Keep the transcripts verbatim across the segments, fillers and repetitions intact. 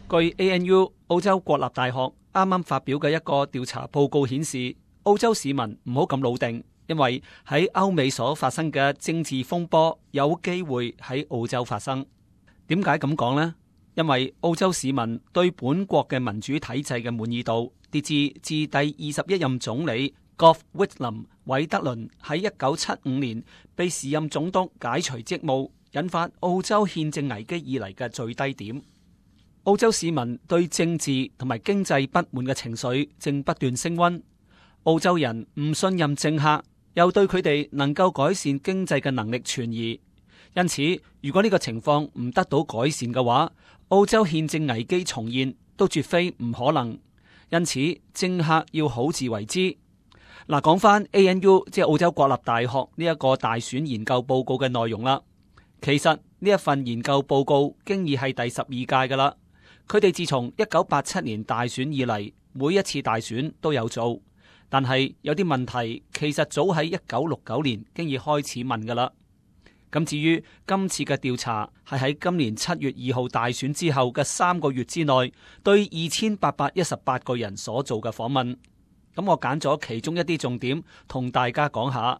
據 A N U 澳洲國立大學啱啱發表嘅一個調查報告顯示，澳洲市民唔好咁老定，因為喺歐美所發生嘅政治風波有機會喺澳洲發生。點解咁講呢？因為澳洲市民對本國嘅民主體制嘅滿意度跌至自第二十一任總理 Gough Whitlam 韋德倫喺一九七五年被時任總督解除職務，引發澳洲憲政危機以嚟嘅最低點。澳洲市民對政治同埋經濟不滿嘅情緒正不斷升溫，澳洲人唔信任政客，又對佢哋能夠改善經濟嘅能力存疑。因此，如果呢個情況唔得到改善嘅話，澳洲憲政危機重現都絕非唔可能。因此，政客要好自為之。嗱，講翻 A N U 即係澳洲國立大學呢一個大選研究報告嘅內容啦。其實呢一份研究報告經已係第十二屆噶啦。佢哋自從一九八七年大選以嚟，每一次大選都有做，但係有啲問題其實早喺一九六九年經已開始問噶啦。咁至於今次嘅調查係喺今年七月二號大選之後嘅三個月之內，對二千八百一十八個人所做嘅訪問。咁我揀咗其中一啲重點同大家講下。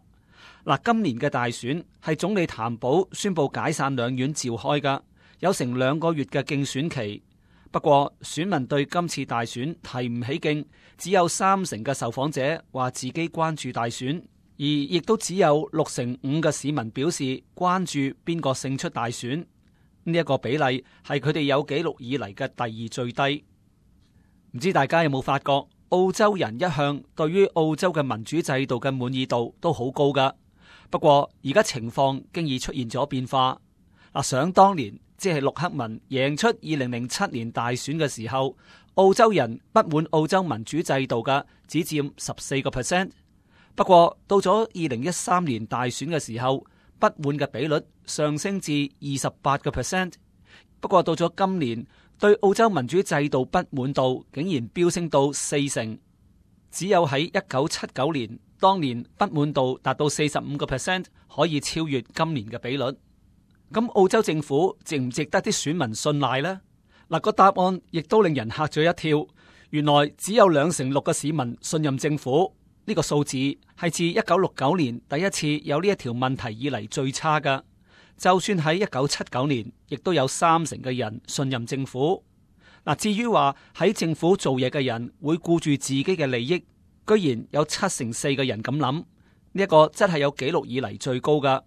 嗱，今年嘅大選係總理譚寶宣布解散兩院召開噶，有成兩個月嘅競選期。不過選民對今次大選提唔起勁，只有三成嘅受訪者話自己關注大選，而亦都只有六成五嘅市民表示關注邊個勝出大選。呢一個比例係佢哋有紀錄以嚟嘅第二最低。唔知大家有冇發覺，澳洲人一向對於澳洲嘅民主制度嘅滿意度都好高噶。不過而家情況經已出現咗變化。嗱，想當年，即係陸克文贏出二零零七年大選嘅時候，澳洲人不滿澳洲民主制度嘅只佔十四個 percent。不過到咗二零一三年大選嘅時候，不滿嘅比率上升至二十八個 percent。不過到咗今年，對澳洲民主制度不滿度竟然飆升到四成。只有喺一九七九年，當年不滿度達到四十五個 percent，可以超越今年嘅比率。咁澳洲政府值唔值得啲選民信賴呢？嗱，個答案亦都令人嚇咗一跳。原來只有兩成六嘅市民信任政府，呢個數字係自一九六九年第一次有呢一條問題以嚟最差噶。就算喺一九七九年，亦都有三成嘅人信任政府。嗱，至於話喺政府做嘢嘅人會顧住自己嘅利益，居然有七成四嘅人咁諗，呢一個真係有紀錄以嚟最高噶。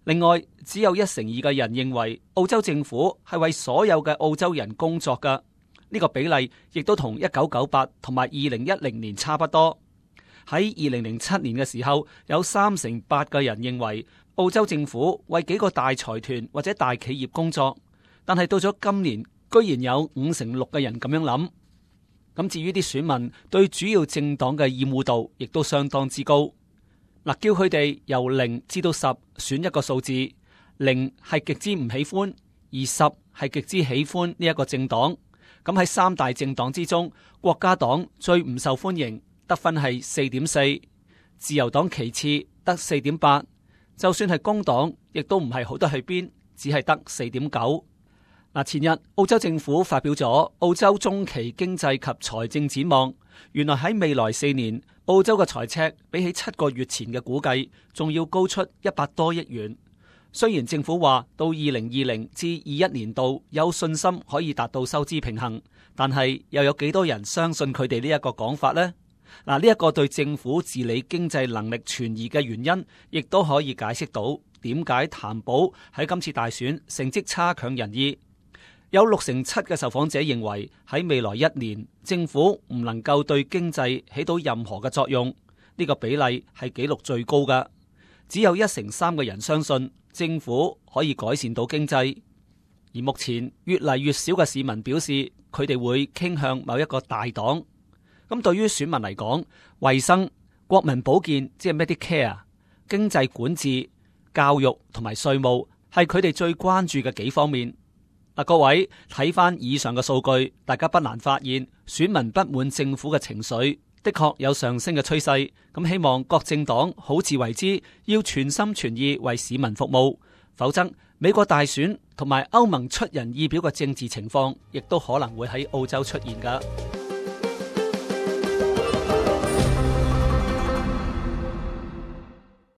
另外，只有一成二嘅人認為澳洲政府係為所有嘅澳洲人工作噶，呢個比例亦都同一九九八同埋二零一零年差不多。喺二零零七年嘅時候，有三成八嘅人認為澳洲政府為幾個大財團或者大企業工作，但係到咗今年，居然有五成六嘅人咁樣諗。咁至於啲選民對主要政黨嘅厭惡度，亦都相當之高。嗱，叫佢哋由零至到十選一個數字，零係極之唔喜歡，而十係極之喜歡呢一個政黨。咁喺三大政黨之中，國家黨最唔受歡迎，得分係四點四；自由黨其次得四點八；就算係工黨，亦都唔係好得去邊，只係得四點九。嗱，前日澳洲政府發表咗澳洲中期經濟及財政展望，原來喺未來四年，澳洲嘅財赤比起七個月前嘅估計，仲要高出一百多億元。雖然政府話到二零二零至二一年度有信心可以達到收支平衡，但係又有幾多人相信佢哋呢一個講法呢？嗱，呢一個對政府治理經濟能力存疑嘅原因，亦都可以解釋到點解譚寶喺今次大選成績差強人意。有六成七嘅受訪者認為喺未來一年，政府唔能夠對經濟起到任何嘅作用，呢個比例係紀錄最高㗎。只有一成三嘅人相信政府可以改善到經濟，而目前越嚟越少嘅市民表示佢哋會傾向某一個大黨。咁對於選民嚟講，衛生、國民保健即係 Medicare、經濟管治、教育同埋稅務係佢哋最關注嘅幾方面。嗱，各位睇翻以上嘅數據，大家不難發現選民不滿政府嘅情緒的確有上升嘅趨勢。咁希望各政黨好自為之，要全心全意為市民服務，否則美國大選同埋歐盟出人意表嘅政治情況，亦都可能會喺澳洲出現㗎。